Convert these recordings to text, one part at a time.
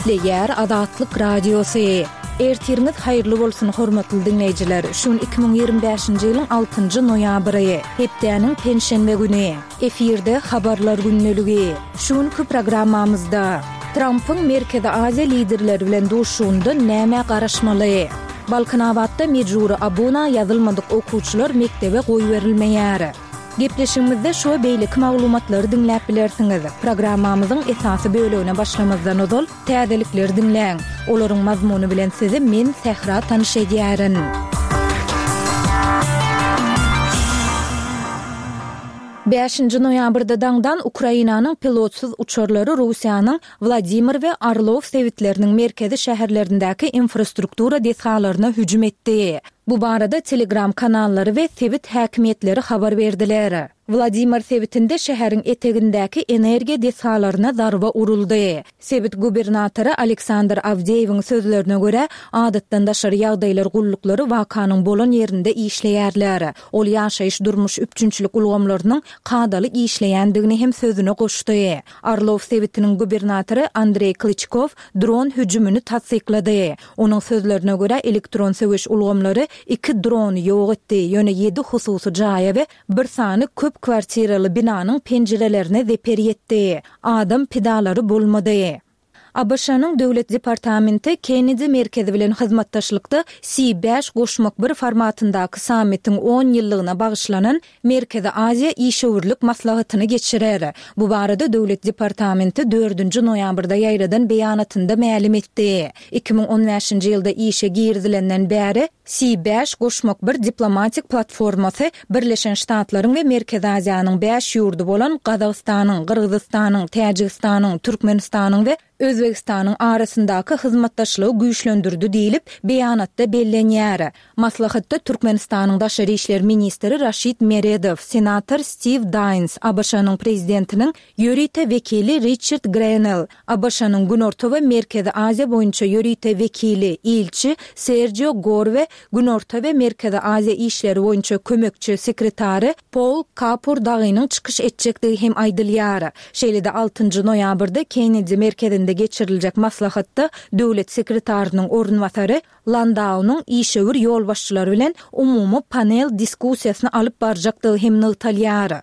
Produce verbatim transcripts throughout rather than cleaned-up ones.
Gepleýär Azatlyk Radiosy. Ertiriňiz haýyrly bolsun, hormatly diňleýjiler! Şu gün iki müň ýigrimi bäşinji ýylyň altynjy noýabry, hepdäniň penşenbe güni. Efirde Habarlar gündeligi. Şu günki programmamyzda, Trampyň Merkezi Aziýa liderleri bilen duşuşygynda nämä garaşmaly? Balkanabatda mejbury abuna ýazylmadyk okuwçylar mekdebe goýberilmeýär. Gepleşigimizde şu we beýleki maglumatlary diňläp bilersiňiz. Programmamyzyň esasy bölegine başlamazdan ozal, täzelikleri diňläň. Olaryň mazmuny bilen sizi men, Sähra tanyş edýärin. Bäşinji noýabrda daňdan Ukrainanyň pilotsyz uçarlary Russiýanyň Wladimir we Orlow sebitleriniň merkezi şäherlerindäki infrastruktura desgalaryna hüjüm etdi. Bu barada Telegram kanallary we sebit häkimiýetleri habar berdiler. Wladimir sebitinde şäheriň etegindäki energiýa desgalaryna zarba uruldy. Sebit gubernatory Aleksandr Awdeýewiň sözlerine görä, adatdan daşary ýagdaýlar gulluklary wakanyň bolan ýerinde işleýärler. Ol ýaşaýyş-durmuş üpjünçilik ulgamlarynyň kadaly işleýändigini hem sözüne goşdy. Orlow sebitiniň gubernatory Andreý Klyçkow dron hüjümini tassyklady. Onuň sözlerine görä, elektron söweş ulgamlary iki drony ýok etdi, ýöne ýedi hususy jaýa we bir sany köp kwartiraly binanyň penjirelerine zeper ýetdi. Adam pidalary bolmady. ABŞ-nyň Döwlet departamenti Kennedi merkezi bilen hyzmatdaşlykda C bäş goşmak bir formatyndaky sammitiň on ýyllygyna bagyşlanan Merkezi Aziýa işewürlik maslahatyny geçirer. Bu barada Döwlet departamenti dördünji noýabrda ýaýradan beýanatynda mälim etdi. Iki müň on bäşinji ýylda işe girizilenden bäri C bäş goşmak bir diplomatik platformasy Birleşen Ştatlaryň we Merkezi Aziýanyň bäş ýurdy bolan Gazagystanyň, Gyrgyzystanyň, Täjigistanyň, Türkmenistanyň we Özbegistanyň arasyndaky hyzmatdaşlygy güýçlendirdi diýlip, beýanatda bellenýär. Maslahatda Türkmenistanyň daşary işler ministri Raşid Meredow, senator Stiw Daýns, ABŞ-nyň Prezidentiniň ýörite wekili Riçard Grenell, ABŞ-nyň Günorta we Merkezi Aziýa boýunça ýörite wekili, ilçi Serjio Gor we Günorta we Merkezi Aziýa işleri boýunça kömekçi sekretary Pol Kapur dagynyň çykyş etjekdigi hem aýdylýar. Şeýle-de altynjy noýabrda Kennedi merkezinde geçiriljek maslahatda döwlet sekretarynyň orunbasary Landaunyň işewür ýolbaşçylary bilen umumy panel diskussiýasyny alyp barjakdygy hem nygtalýar.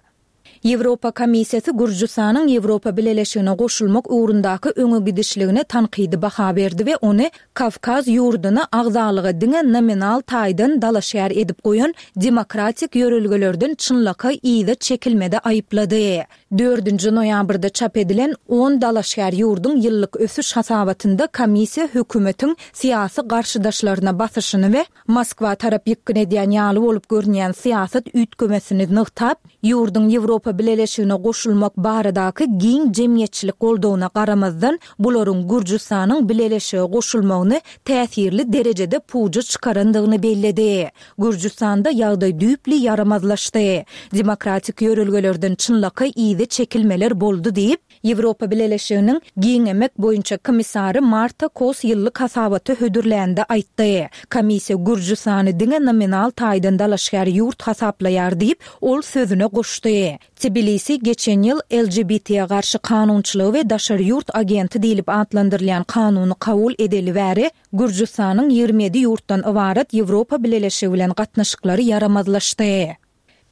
Ýewropa Komissiýasy Gürjüstanyň Ýewropa Bileleşigine goşulmak ugrundaky öňe gidişligine tankydy baha berdi we ony Kawkaz ýurduny agzalyga diňe nominal taýdan dalaşgär edip goýan demokratik ýörelgelerden çynlakaý yza çekilmede aýyplady. Dördünji noýabrda çap edilen on dalaşgär ýurduň ýyllyk ösüş hasabatynda komissiýa hökümetiň syýasy garşydaşlaryna basyşyny we Moskwa tarap ýykgyn edýän ýaly bolup görünýän syýasat üýtgemesini nygtap, ýurduň Ýewropa Bileleşigine goşulmak baradaky giň jemgyýetçilik goldawyna garamazdan, bularyň Gürjüstanyň Bileleşige goşulmagyny täsirli derejede puja çykarandygyny belledi. Gürjüstanda ýagdaý düýpli ýaramazlaşdy. Demokratik ýörelgelerden çynlakaý yza çekilmeler boldy diýip, Ýewropa Bileleşiginiň Giňemek boýunça komissary Marta Kos ýyllyk hasabaty hödürlände aýtdy. Komissiýa Gürjüstany diňe nominal taýdan dalaşgär ýurt hasaplaýar diýip, ol sözüne goşdy. Tbilisi geçen ýyl L G B T garşy kanunçylygy we daşary ýurt agenti diýlip atlandyrylýan kanuny kabul edeli bäri Gürjüstanyň ýigrimi ýedi ýurtdan ybarat Ýewropa Bileleşigi bilen gatnaşyklary ýaramazlaşdy.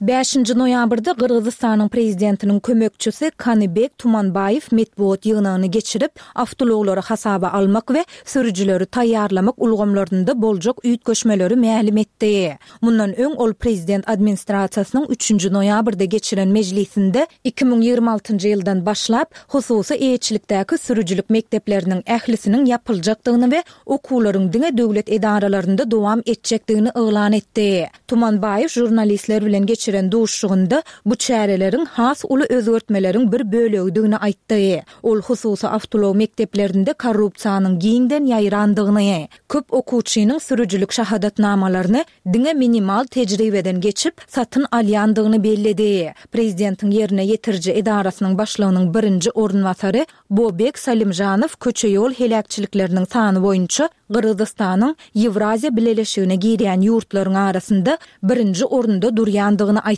Bäşinji noýabrda Gyrgyzystanyň prezidentiniň kömekçisi Kanybek Tumanbaýew metbugat ýygnagyny geçirip, awtoulaglary hasaba almak we sürüjileri taýýarlamak ulgamlarynda boljak üýtgeşmeleri mälim etdi. Mundan öň ol prezident administrasiýasynyň üçünji noýabrda geçiren mejlisinde iki müň ýigrimi altynjy ýyldan başlap hususy eýeçilikdäki sürüjilik mekdepleriniň ählisiniň ýapyljakdygyny we okuwlaryň diňe döwlet edaralarynda dowam etjekdigini yglan etdi. Tumanbaýew žurnalistler bilen geçiren duşuşygynda bu çäreleriň has uly özgertmeleriň bir bölegidigini aýtdy. Ol hususy awtoulag mekdeplerinde korrupsiýanyň giňden ýaýrandygyny, köp okuwçynyň sürüjilik şahadatnamalaryny diňe minimal tejribeden geçip satyn alýandygyny belledi. Prezidentiň ýerine ýetiriji edarasynyň başlygynyň birinji orunbasary Bobek Salimjanow köçe ýol heläkçilikleriniň sany boýunça Gyrgyzystanyň Ýewraziýa Bileleşigine girýän ýurtlaryň arasynda birinji orunda durýandygyny aýtdy.